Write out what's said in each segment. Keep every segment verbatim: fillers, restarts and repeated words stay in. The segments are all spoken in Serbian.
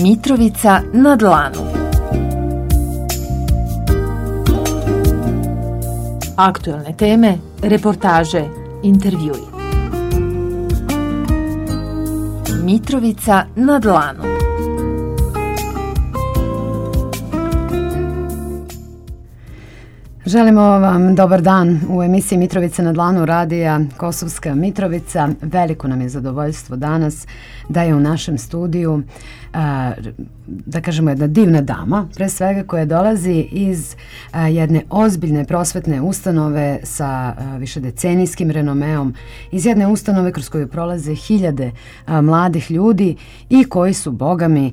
Mitrovica na dlanu. Aktuelne teme, reportaže, intervjui. Mitrovica na dlanu. Želimo vam dobar dan u emisiji Mitrovica na dlanu radija Kosovska Mitrovica. Veliko nam je zadovoljstvo danas da je u našem studiju, da kažemo, jedna divna dama, pre svega koja dolazi iz jedne ozbiljne prosvetne ustanove sa višedecenijskim renomeom, iz jedne ustanove kroz koju prolaze hiljade mladih ljudi i koji su, boga mi,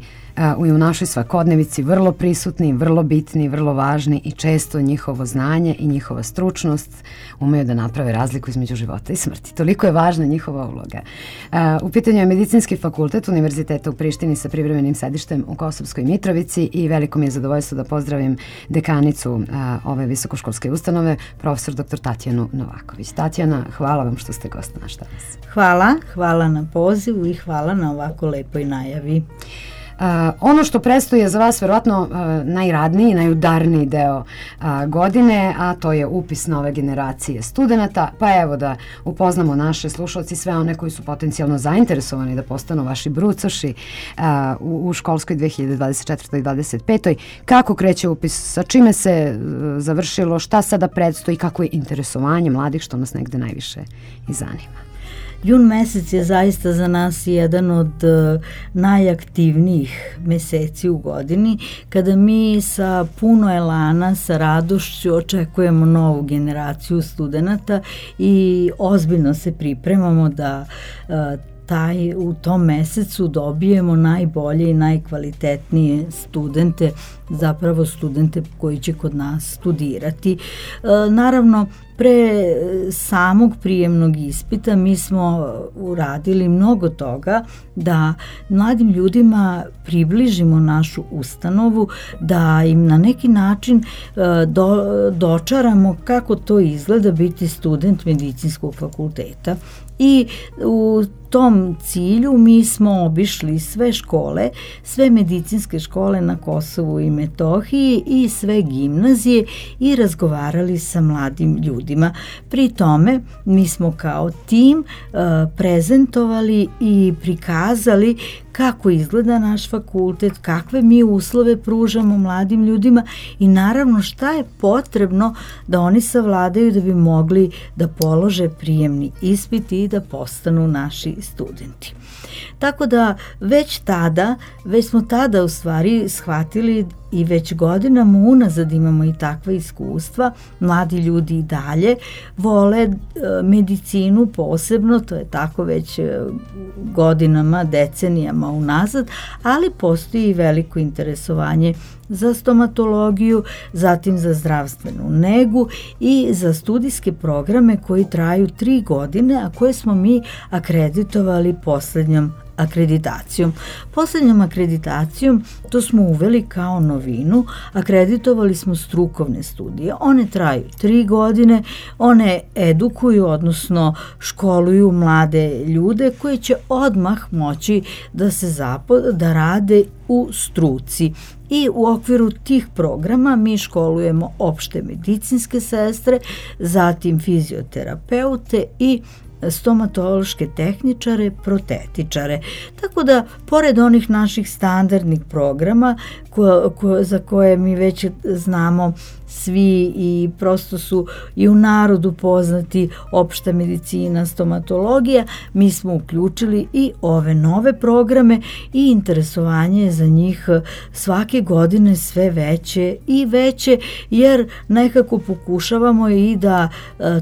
u našoj svakodnevici vrlo prisutni, vrlo bitni, vrlo važni i često njihovo znanje i njihova stručnost umeju da naprave razliku između života i smrti. Toliko je važna njihova uloga. U pitanju je Medicinski fakultet Univerziteta u Prištini sa privremenim sedištem u Kosovskoj Mitrovici i veliko mi je zadovoljstvo da pozdravim dekanicu ove visokoškolske ustanove, profesor doktor Tatjanu Novaković. Tatjana, hvala vam što ste gost naš danas. Hvala, hvala na pozivu i hvala na ovako lepoj najavi. Uh, ono što predstoji je za vas verovatno uh, najradniji, najudarniji deo uh, godine, a to je upis nove generacije studenata. Pa evo da upoznamo naše slušalci, sve one koji su potencijalno zainteresovani da postanu vaši brucoši uh, u, u školskoj dve hiljade dvadeset četvrtoj i dvadeset petoj. Kako kreće upis, sa čime se uh, završilo, šta sada predstoji, kako je interesovanje mladih, što nas negde najviše i zanima. Jun mesec je zaista za nas jedan od uh, najaktivnijih meseci u godini, kada mi sa puno elana, sa radošću očekujemo novu generaciju studenata i ozbiljno se pripremamo da uh, taj, u tom mesecu dobijemo najbolje i najkvalitetnije studente, zapravo studente koji će kod nas studirati. E, naravno, pre samog prijemnog ispita mi smo uradili mnogo toga da mladim ljudima približimo našu ustanovu, da im na neki način e, do, dočaramo kako to izgleda biti student medicinskog fakulteta. I u tom cilju mi smo obišli sve škole, sve medicinske škole na Kosovu i Metohiji i sve gimnazije i razgovarali sa mladim ljudima. Pri tome mi smo kao tim uh, prezentovali i prikazali kako izgleda naš fakultet, kakve mi uslove pružamo mladim ljudima i naravno šta je potrebno da oni savladaju da bi mogli da polože prijemni ispit i da postanu naši studenti. Tako da već tada, već smo tada u stvari shvatili i već godinama unazad imamo i takva iskustva, mladi ljudi i dalje vole e, medicinu posebno, to je tako već e, godinama, decenijama unazad, ali postoji i veliko interesovanje za stomatologiju, zatim za zdravstvenu negu i za studijske programe koji traju tri godine, a koje smo mi akreditovali poslednjom akreditacijom. Poslednjom akreditacijom to smo uveli kao novinu, akreditovali smo strukovne studije. One traju tri godine, one edukuju, odnosno školuju mlade ljude koji će odmah moći da se zapo, da rade u struci. I u okviru tih programa mi školujemo opšte medicinske sestre, zatim fizioterapeute i stomatološke tehničare, protetičare. Tako da, pored onih naših standardnih programa ko, ko, za koje mi već znamo svi i prosto su i u narodu poznati opšta medicina, stomatologija, mi smo uključili i ove nove programe i interesovanje za njih svake godine sve veće i veće, jer nekako pokušavamo i da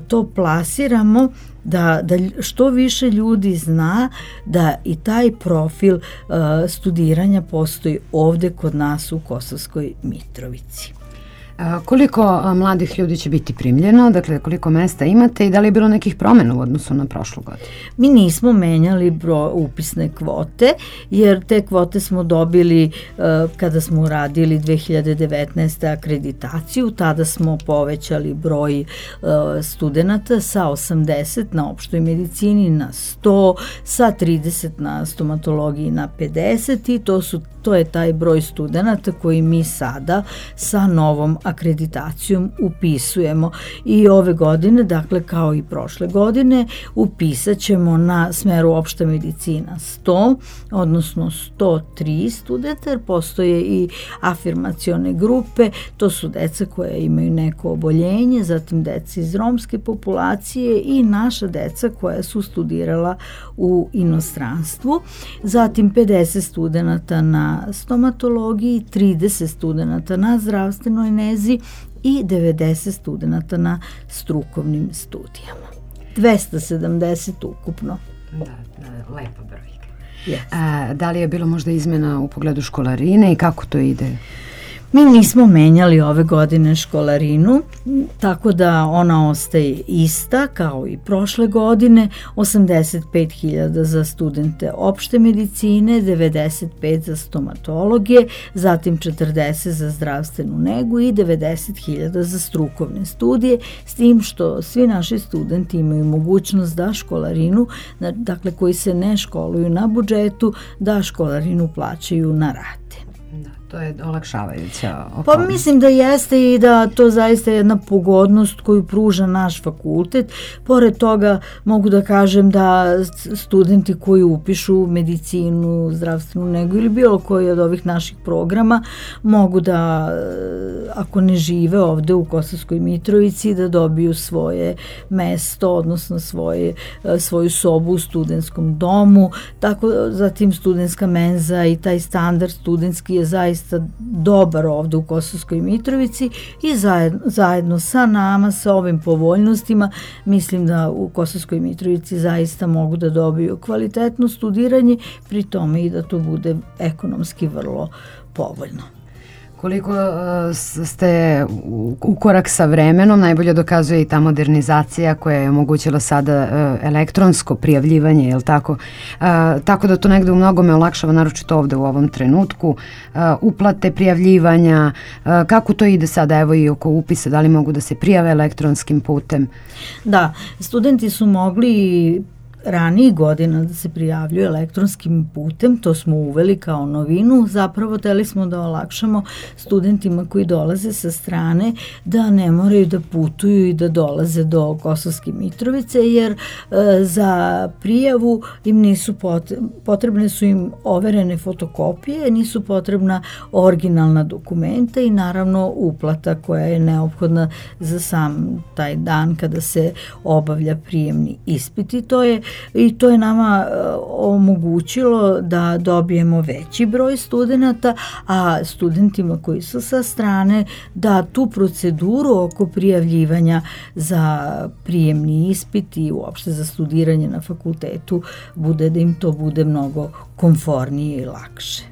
to plasiramo, da, da što više ljudi zna da i taj profil uh, studiranja postoji ovde kod nas u Kosovskoj Mitrovici. Koliko mladih ljudi će biti primljeno, dakle koliko mesta imate i da li je bilo nekih promjena u odnosu na prošlu godinu? Mi nismo menjali bro, upisne kvote, jer te kvote smo dobili uh, kada smo uradili dve hiljade devetnaeste. akreditaciju, tada smo povećali broj uh, studenta sa osamdeset na opštoj medicini na sto, sa trideset na stomatologiji na pedeset i to su to je taj broj studenata koji mi sada sa novom akreditacijom upisujemo. I ove godine, dakle kao i prošle godine, upisat ćemo na smeru opšta medicina sto, odnosno sto tri studenta, jer postoje i afirmacione grupe, to su deca koja imaju neko oboljenje, zatim deca iz romske populacije i naša deca koja su studirala u inostranstvu, zatim pedeset studenata na stomatologiji, trideset studenata na zdravstvenoj nezi i devedeset studenata na strukovnim studijama. dvesta sedamdeset ukupno. Da, da, lepa brojka. Yes. A, da li je bilo možda izmena u pogledu školarine i kako to ide? Mi nismo menjali ove godine školarinu, tako da ona ostaje ista kao i prošle godine, osamdeset pet hiljada za studente opšte medicine, devedeset pet za stomatologije, zatim četrdeset za zdravstvenu negu i devedeset hiljada za strukovne studije, s tim što svi naši studenti imaju mogućnost da školarinu, dakle koji se ne školuju na budžetu, da školarinu plaćaju na rate. To je olakšavajuća okolnost. Pa mislim da jeste i da to zaista je jedna pogodnost koju pruža naš fakultet. Pored toga mogu da kažem da studenti koji upišu medicinu, zdravstvenu negu ili bilo koji od ovih naših programa mogu da, ako ne žive ovde u Kosovskoj Mitrovici, da dobiju svoje mesto, odnosno svoje, svoju sobu u studentskom domu. Tako, zatim studentska menza i taj standard studentski je zaista dobar ovde u Kosovskoj Mitrovici i zajedno, zajedno sa nama, sa ovim povoljnostima, mislim da u Kosovskoj Mitrovici zaista mogu da dobiju kvalitetno studiranje, pri tome i da to bude ekonomski vrlo povoljno. Koliko uh, ste u, u korak sa vremenom, najbolje dokazuje i ta modernizacija koja je omogućila sada uh, elektronsko prijavljivanje, je li tako? Uh, tako da to negde u mnogome olakšava, naročito ovde u ovom trenutku. Uh, uplate, prijavljivanja, uh, kako to ide sada, evo i oko upisa, da li mogu da se prijave elektronskim putem? Da, studenti su mogli ranijih godina da se prijavljuju elektronskim putem, to smo uveli kao novinu, zapravo teli smo da olakšamo studentima koji dolaze sa strane da ne moraju da putuju i da dolaze do Kosovske Mitrovice, jer e, za prijavu im nisu potrebne, potrebne su im overene fotokopije, nisu potrebna originalna dokumenta i naravno uplata koja je neophodna za sam taj dan kada se obavlja prijemni ispit i to je I to je nama uh, omogućilo da dobijemo veći broj studenata, a studentima koji su sa strane da tu proceduru oko prijavljivanja za prijemni ispit i uopšte za studiranje na fakultetu bude da im to bude mnogo komfornije i lakše.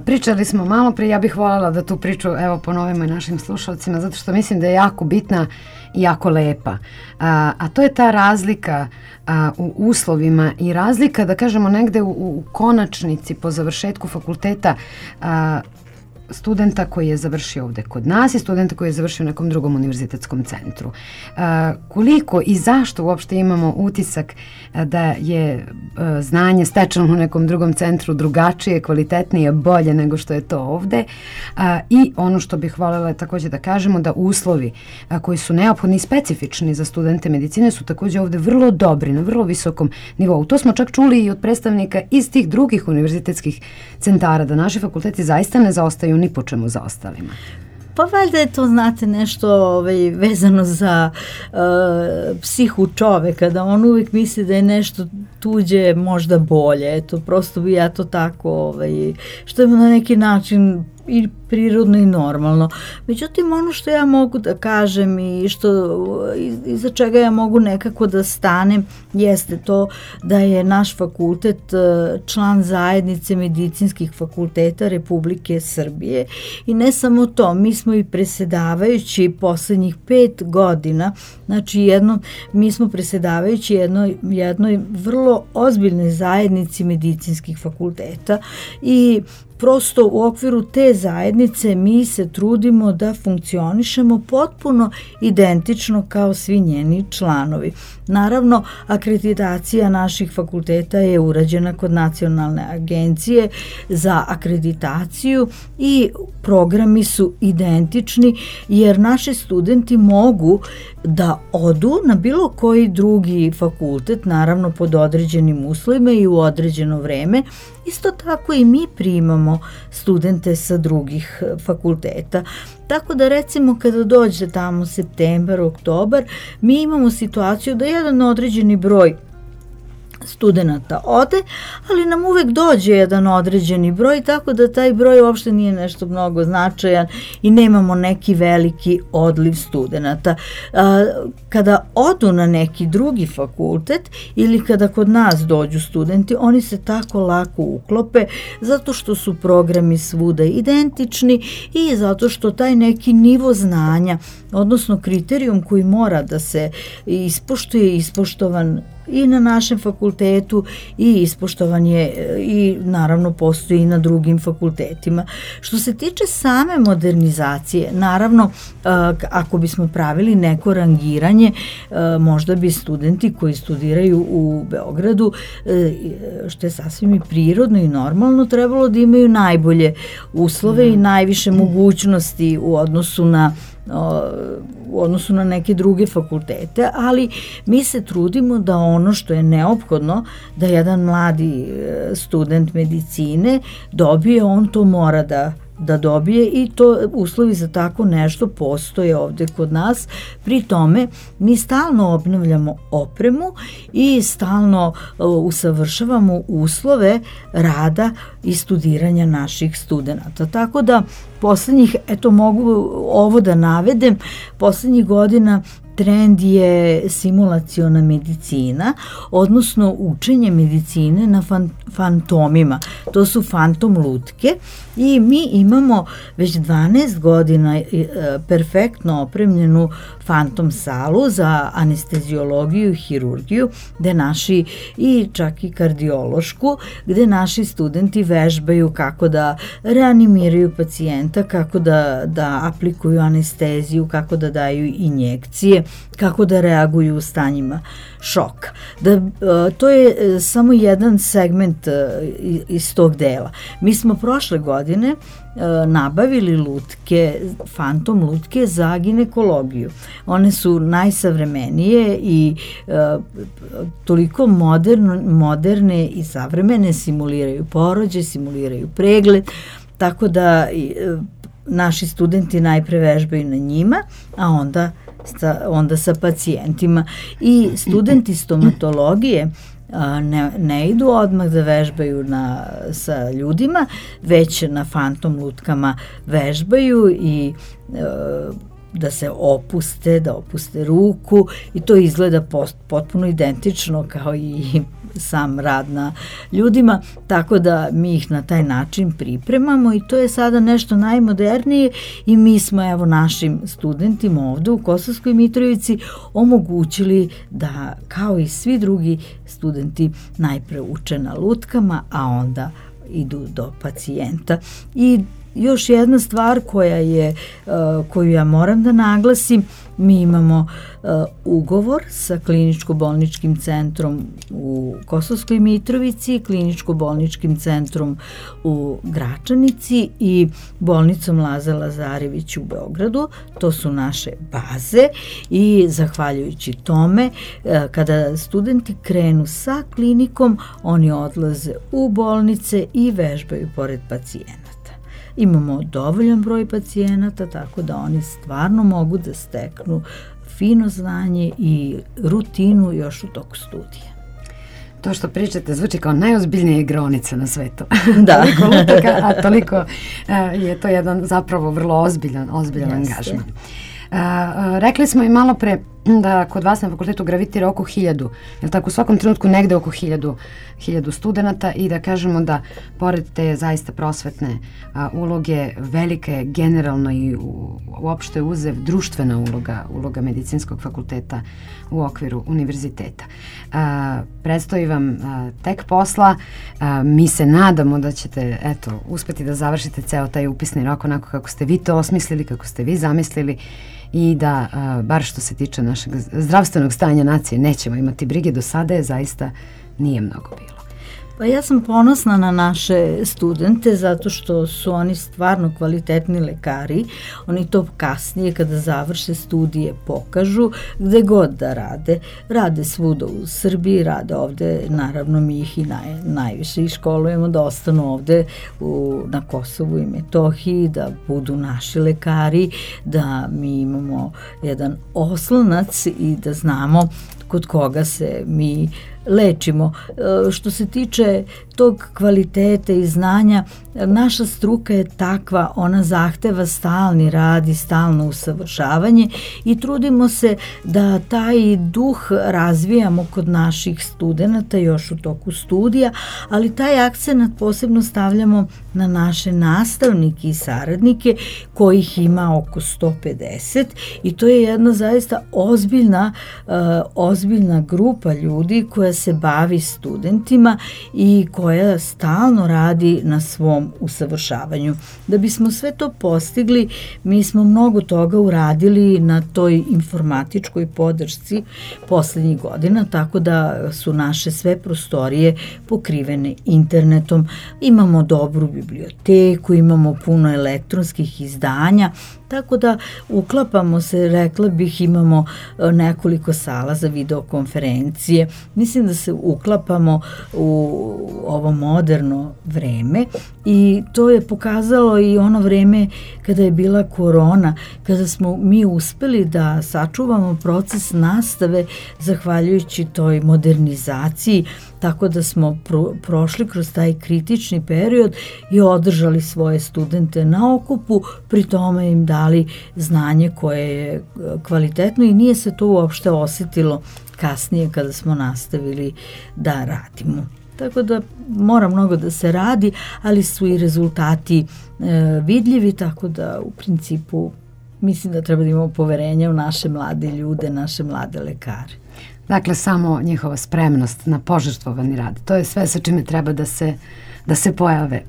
Pričali smo malo prije, ja bih voljela da tu priču evo ponovimo i našim slušalcima, zato što mislim da je jako bitna i jako lepa. A, a to je ta razlika a, u uslovima i razlika, da kažemo, negde u, u konačnici po završetku fakulteta a, studenta koji je završio ovde kod nas i studenta koji je završio u nekom drugom univerzitetskom centru. A, koliko i zašto uopšte imamo utisak a, da je a, znanje stečeno u nekom drugom centru drugačije, kvalitetnije, bolje nego što je to ovde. A, I ono što bih voljela takođe da kažemo da uslovi a, koji su neophodni i specifični za studente medicine su takođe ovde vrlo dobri, na vrlo visokom nivou. To smo čak čuli i od predstavnika iz tih drugih univerzitetskih centara, da naši fakulteti zaista ne zaostaju ni po čemu za ostalima. Pa valjda je to, znate, nešto ovaj, vezano za uh, psihu čoveka, da on uvijek misli da je nešto tuđe možda bolje. Eto, prosto bi ja to tako, ovaj, što je na neki način i prirodno i normalno. Međutim, ono što ja mogu da kažem i što iza čega ja mogu nekako da stanem jeste to da je naš fakultet član zajednice medicinskih fakulteta Republike Srbije i ne samo to, mi smo i presedavajući poslednjih pet godina, znači jedno, mi smo presedavajući jednoj, jednoj vrlo ozbiljnoj zajednici medicinskih fakulteta i prosto u okviru te zajednice mi se trudimo da funkcionišemo potpuno identično kao svi njeni članovi. Naravno, akreditacija naših fakulteta je urađena kod Nacionalne agencije za akreditaciju i programi su identični jer naši studenti mogu da odu na bilo koji drugi fakultet, naravno pod određenim uslovima i u određeno vreme. Isto tako i mi primamo studente sa drugih fakulteta. Tako da recimo kada dođe tamo septembar, oktobar, mi imamo situaciju da jedan određeni broj studenata ode, ali nam uvek dođe jedan određeni broj, tako da taj broj uopšte nije nešto mnogo značajan i nemamo neki veliki odliv studenata. Kada odu na neki drugi fakultet ili kada kod nas dođu studenti, oni se tako lako uklope zato što su programi svuda identični i zato što taj neki nivo znanja, odnosno kriterijum koji mora da se ispoštuje, ispoštovan i na našem fakultetu i ispoštovan je i naravno postoji i na drugim fakultetima. Što se tiče same modernizacije, naravno ako bismo pravili neko rangiranje, možda bi studenti koji studiraju u Beogradu, što je sasvim i prirodno i normalno, trebalo da imaju najbolje uslove i najviše mogućnosti u odnosu na u odnosu na neke druge fakultete, ali mi se trudimo da ono što je neophodno da jedan mladi student medicine dobije, on to mora da da dobije i to uslovi za tako nešto postoje ovde kod nas. Pri tome mi stalno obnavljamo opremu i stalno uh, usavršavamo uslove rada i studiranja naših studenata. Tako da poslednjih, eto mogu ovo da navedem, poslednjih godina trend je simulaciona medicina, odnosno učenje medicine na fan, fantomima. To su fantom lutke i mi imamo već dvanaest godina e, perfektno opremljenu fantom salu za anesteziologiju i hirurgiju, gde naši i čak i kardiološku, gde naši studenti vežbaju kako da reanimiraju pacijenta, kako da, da aplikuju anesteziju, kako da daju injekcije, kako da reaguju u stanjima šoka. Da, to je samo jedan segment iz tog dela. Mi smo prošle godine nabavili lutke, fantom lutke za ginekologiju. One su najsavremenije i toliko moderno, moderne i savremene, simuliraju porođaj, simuliraju pregled, tako da naši studenti najpre vežbaju na njima, a onda Sa, onda sa pacijentima. I studenti stomatologije a, ne, ne idu odmah da vežbaju na, sa ljudima, već na fantom lutkama vežbaju i a, da se opuste, da opuste ruku i to izgleda post, potpuno identično kao i sam rad na ljudima, tako da mi ih na taj način pripremamo i to je sada nešto najmodernije i mi smo evo našim studentima ovde u Kosovskoj Mitrovici omogućili da kao i svi drugi studenti najpre uče na lutkama, a onda idu do pacijenta. I još jedna stvar koja je, koju ja moram da naglasim, mi imamo ugovor sa kliničko-bolničkim centrom u Kosovskoj Mitrovici, kliničko-bolničkim centrom u Gračanici i bolnicom Laza Lazarević u Beogradu. To su naše baze i zahvaljujući tome, kada studenti krenu sa klinikom, oni odlaze u bolnice i vežbaju pored pacijenata. Imamo dovoljan broj pacijenata, tako da oni stvarno mogu da steknu fino znanje i rutinu još u toku studija. To što pričate zvuči kao najozbiljnija igraonica na svetu. Da. Toliko lutaka, a toliko uh, je to jedan zapravo vrlo ozbiljan, ozbiljan Jeste. angažman. Uh, uh, rekli smo i malo pre da kod vas na fakultetu gravitira oko hiljadu, je li tako, u svakom trenutku negde oko hiljadu, hiljadu studenta i da kažemo da pored te zaista prosvetne a, uloge, velike je generalno i u, uopšte uzev društvena uloga, uloga medicinskog fakulteta u okviru univerziteta. A, predstoji vam a, tek posla, a, mi se nadamo da ćete eto, uspeti da završite ceo taj upisni rok onako kako ste vi to osmislili, kako ste vi zamislili i da, a, bar što se tiče našeg zdravstvenog stanja nacije, nećemo imati brige. Do sada je zaista nije mnogo bilo. Pa ja sam ponosna na naše studente zato što su oni stvarno kvalitetni lekari. Oni to kasnije kada završe studije pokažu gde god da rade. Rade svuda u Srbiji, rade ovde, naravno mi ih i naj, najviše i školujemo da ostanu ovde u, na Kosovu i Metohiji, da budu naši lekari, da mi imamo jedan oslonac i da znamo kod koga se mi lečimo. E, što se tiče tog kvaliteta i znanja, naša struka je takva, ona zahteva stalni rad i stalno usavršavanje i trudimo se da taj duh razvijamo kod naših studenata još u toku studija, ali taj akcenat posebno stavljamo na naše nastavnike i saradnike kojih ima oko sto pedeset i to je jedna zaista ozbiljna, uh, ozbiljna grupa ljudi koja se bavi studentima i koja stalno radi na svom usavršavanju. Da bismo sve to postigli, mi smo mnogo toga uradili na toj informatičkoj podršci poslednjih godina, tako da su naše sve prostorije pokrivene internetom. Imamo dobru biblioteku, imamo puno elektronskih izdanja, tako da uklapamo se, rekla bih, imamo nekoliko sala za videokonferencije. Mislim da se uklapamo u ovo moderno vreme i to je pokazalo i ono vreme kada je bila korona, kada smo mi uspeli da sačuvamo proces nastave zahvaljujući toj modernizaciji, tako da smo pro, prošli kroz taj kritični period i održali svoje studente na okupu, pri tome im dali znanje koje je kvalitetno i nije se to uopšte osetilo kasnije kada smo nastavili da radimo. Tako da mora mnogo da se radi, ali su i rezultati e, vidljivi, tako da u principu mislim da treba da imamo poverenja u naše mlade ljude, naše mlade lekare. Dakle, samo njihova spremnost na požrtvovani rad. To je sve sa čime treba da se, da se pojave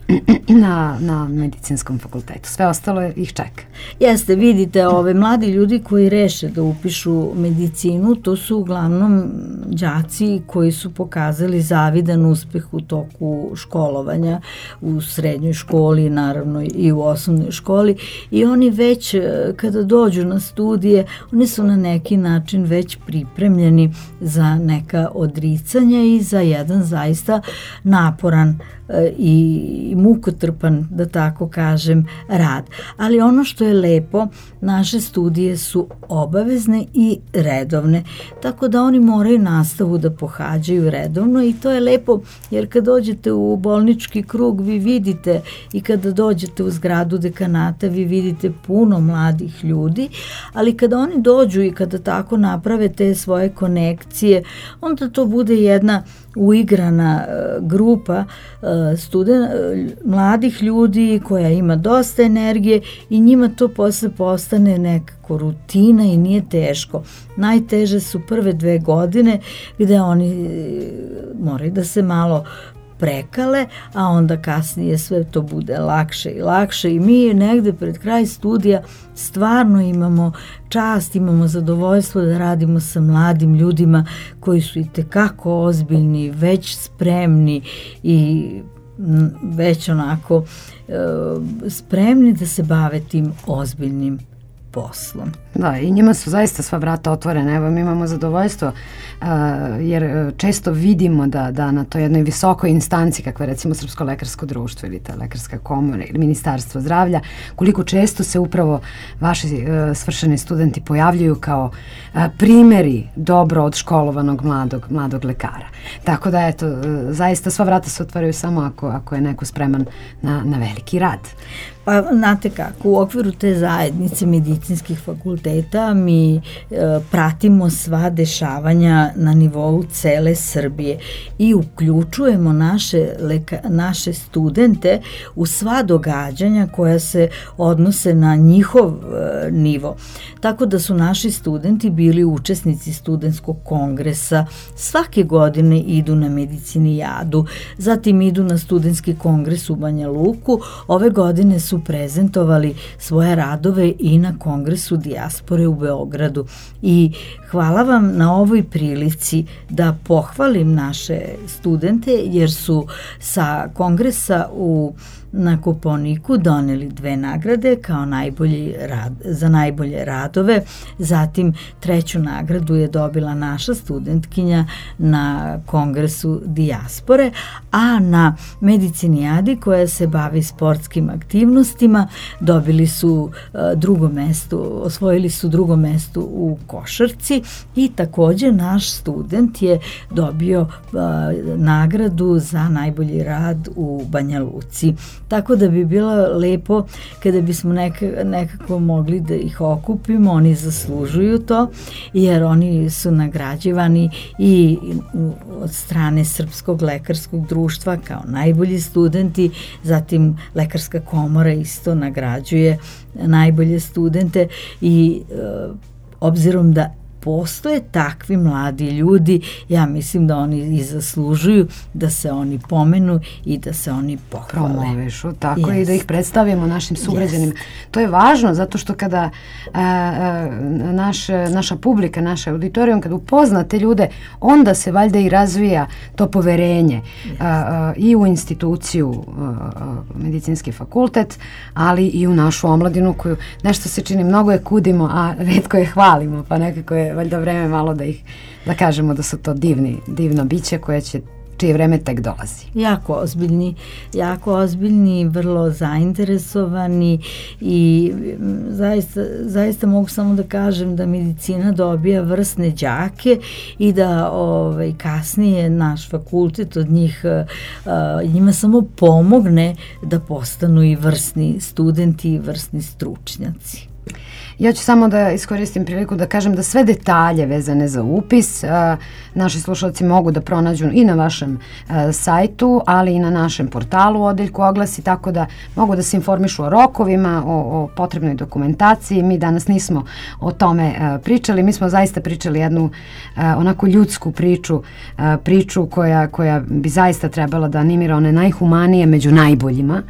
na, na medicinskom fakultetu. Sve ostalo ih čeka. Jeste, vidite, ove mladi ljudi koji reše da upišu medicinu, to su uglavnom đaci koji su pokazali zavidan uspeh u toku školovanja u srednjoj školi, naravno i u osnovnoj školi, i oni već kada dođu na studije, oni su na neki način već pripremljeni za neka odricanja i za jedan zaista naporan i mukotrpan, da tako kažem, rad. Ali ono što je lepo, naše studije su obavezne i redovne, tako da oni moraju nastavu da pohađaju redovno i to je lepo, jer kad dođete u bolnički krug vi vidite i kada dođete u zgradu dekanata vi vidite puno mladih ljudi, ali kada oni dođu i kada tako naprave te svoje konekcije, onda to bude jedna uigrana uh, grupa uh, studen, uh, mladih ljudi koja ima dosta energije i njima to posle postane nekako rutina i nije teško. Najteže su prve dve godine gde oni uh, moraju da se malo prekale, a onda kasnije sve to bude lakše i lakše i mi negde pred kraj studija stvarno imamo čast, imamo zadovoljstvo da radimo sa mladim ljudima koji su i tekako ozbiljni, već spremni i već onako e, spremni da se bave tim ozbiljnim poslom. Da, i njima su zaista sva vrata otvorena. Evo, mi imamo zadovoljstvo uh, jer često vidimo da, da na toj jednoj visokoj instanci, kakva je recimo Srpsko lekarsko društvo ili ta lekarska komora ili Ministarstvo zdravlja, koliko često se upravo vaši uh, svršeni studenti pojavljuju kao uh, primeri dobro odškolovanog mladog, mladog lekara. Tako da, eto, uh, zaista sva vrata se otvaraju samo ako, ako je neko spreman na, na veliki rad. Pa, znate kako, u okviru te zajednice medicinskih fakulteta fakulteta mi e, pratimo sva dešavanja na nivou cele Srbije i uključujemo naše, leka, naše studente u sva događanja koja se odnose na njihov e, nivo. Tako da su naši studenti bili učesnici studentskog kongresa, svake godine idu na medicinijadu, zatim idu na studentski kongres u Banja Luku, ove godine su prezentovali svoje radove i na kongresu dijaspore u Beogradu. I hvala vam na ovoj prilici da pohvalim naše studente jer su sa kongresa u na Kopaoniku doneli dve nagrade kao najbolji rad, za najbolje radove. Zatim treću nagradu je dobila naša studentkinja na kongresu dijaspore, a na medicinijadi koja se bavi sportskim aktivnostima dobili su uh, drugo mesto, osvojili su drugo mesto u košarci i takođe naš student je dobio uh, nagradu za najbolji rad u Banja Luci. Tako da bi bilo lepo kada bismo neka, nekako mogli da ih okupimo, oni zaslužuju to jer oni su nagrađivani i od strane Srpskog lekarskog društva kao najbolji studenti, zatim Lekarska komora isto nagrađuje najbolje studente i e, obzirom da postoje takvi mladi ljudi, ja mislim da oni i zaslužuju da se oni pomenu i da se oni pohvale. Promovišu, tako yes. I da ih predstavimo našim sugrađanima. Yes. To je važno zato što kada a, a, naš, naša publika, naša auditorijum, kada upozna te ljude, onda se valjda i razvija to poverenje yes. a, a, i u instituciju a, medicinski fakultet, ali i u našu omladinu koju nešto se čini, mnogo je kudimo, a retko je hvalimo, pa nekako je valjda vreme malo da ih, da kažemo da su to divni, divna bića koja će, čije vreme tek dolazi. Jako ozbiljni, jako ozbiljni, vrlo zainteresovani i zaista, zaista mogu samo da kažem da medicina dobija vrsne đake i da ovaj, kasnije naš fakultet od njih uh, njima samo pomogne da postanu i vrsni studenti i vrsni stručnjaci. Ja ću samo da iskoristim priliku da kažem da sve detalje vezane za upis a, naši slušalci mogu da pronađu i na vašem a, sajtu, ali i na našem portalu u odeljku oglasi, tako da mogu da se informišu o rokovima, o, o potrebnoj dokumentaciji. Mi danas nismo o tome a, pričali, mi smo zaista pričali jednu a, onako ljudsku priču, a, priču koja, koja bi zaista trebala da animira one najhumanije među najboljima,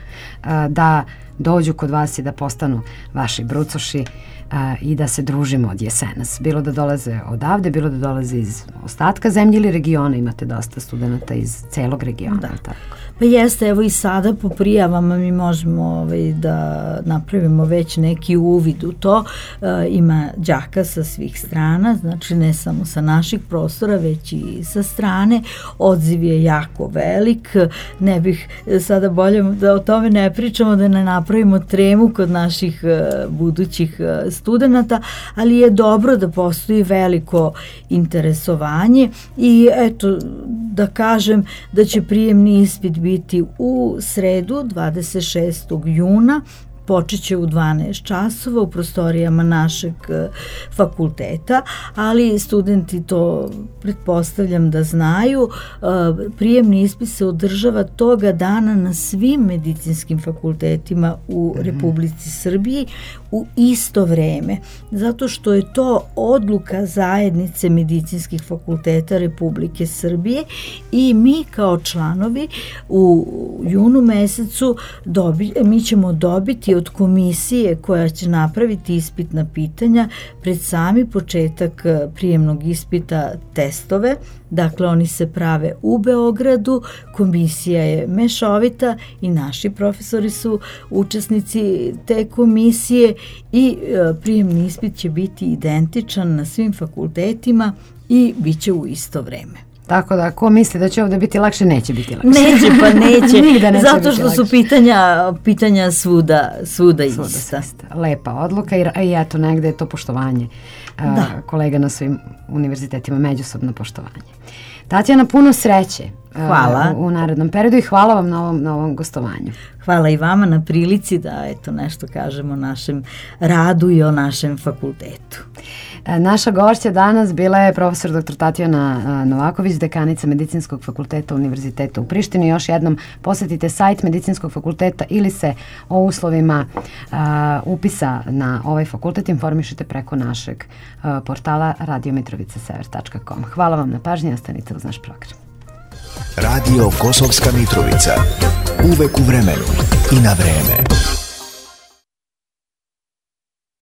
a, da dođu kod vas i da postanu vaši brucoši a, i da se družimo od jesenas. Bilo da dolaze odavde, bilo da dolaze iz ostatka zemlje ili regiona. Imate dosta studenta iz celog regiona. Da. Tako. Pa jeste, evo i sada po prijavama mi možemo ovaj, da napravimo već neki uvid u to. E, ima đaka sa svih strana, znači ne samo sa naših prostora, već i sa strane. Odziv je jako velik. Ne bih sada bolje da o tome ne pričamo, da ne napravimo tremu kod naših e, budućih e, studenta, ali je dobro da postoji veliko interesovanje i eto da kažem da će prijemni ispit biti u sredu dvadeset šestog juna, počeće u dvanaest časova u prostorijama našeg fakulteta, ali studenti to pretpostavljam da znaju. Prijemni ispit se održava toga dana na svim medicinskim fakultetima u mm-hmm. Republici Srbiji u isto vreme, zato što je to odluka zajednice medicinskih fakulteta Republike Srbije i mi kao članovi u junu mesecu dobi, mi ćemo dobiti od komisije koja će napraviti ispitna pitanja pred sami početak prijemnog ispita testove. Dakle, oni se prave u Beogradu, komisija je mešovita i naši profesori su učesnici te komisije i e, prijemni ispit će biti identičan na svim fakultetima i bit će u isto vreme. Tako da, ko misli da će ovdje biti lakše, neće biti lakše. Neće, pa neće. neće zato što su pitanja, pitanja svuda, svuda, svuda ista. ista. Lepa odluka i, i eto, negde je to poštovanje a, kolega na svim univerzitetima, međusobno poštovanje. Tatjana, puno sreće Hvala. u, u narednom periodu i hvala vam na ovom, na ovom gostovanju. Hvala i vama na prilici da eto nešto kažemo o našem radu i o našem fakultetu. Naša gošća danas bila je profesor doktor Tatjana Novaković, dekanica Medicinskog fakulteta Univerziteta u Prištini. Još jednom posetite sajt Medicinskog fakulteta ili se o uslovima a, upisa na ovaj fakultet informišite preko našeg a, portala radio mitrovica sever tačka com. Hvala vam na pažnji, ostanite uz naš program. Radio Kosovska Mitrovica. Uvek u vremenu i na vreme.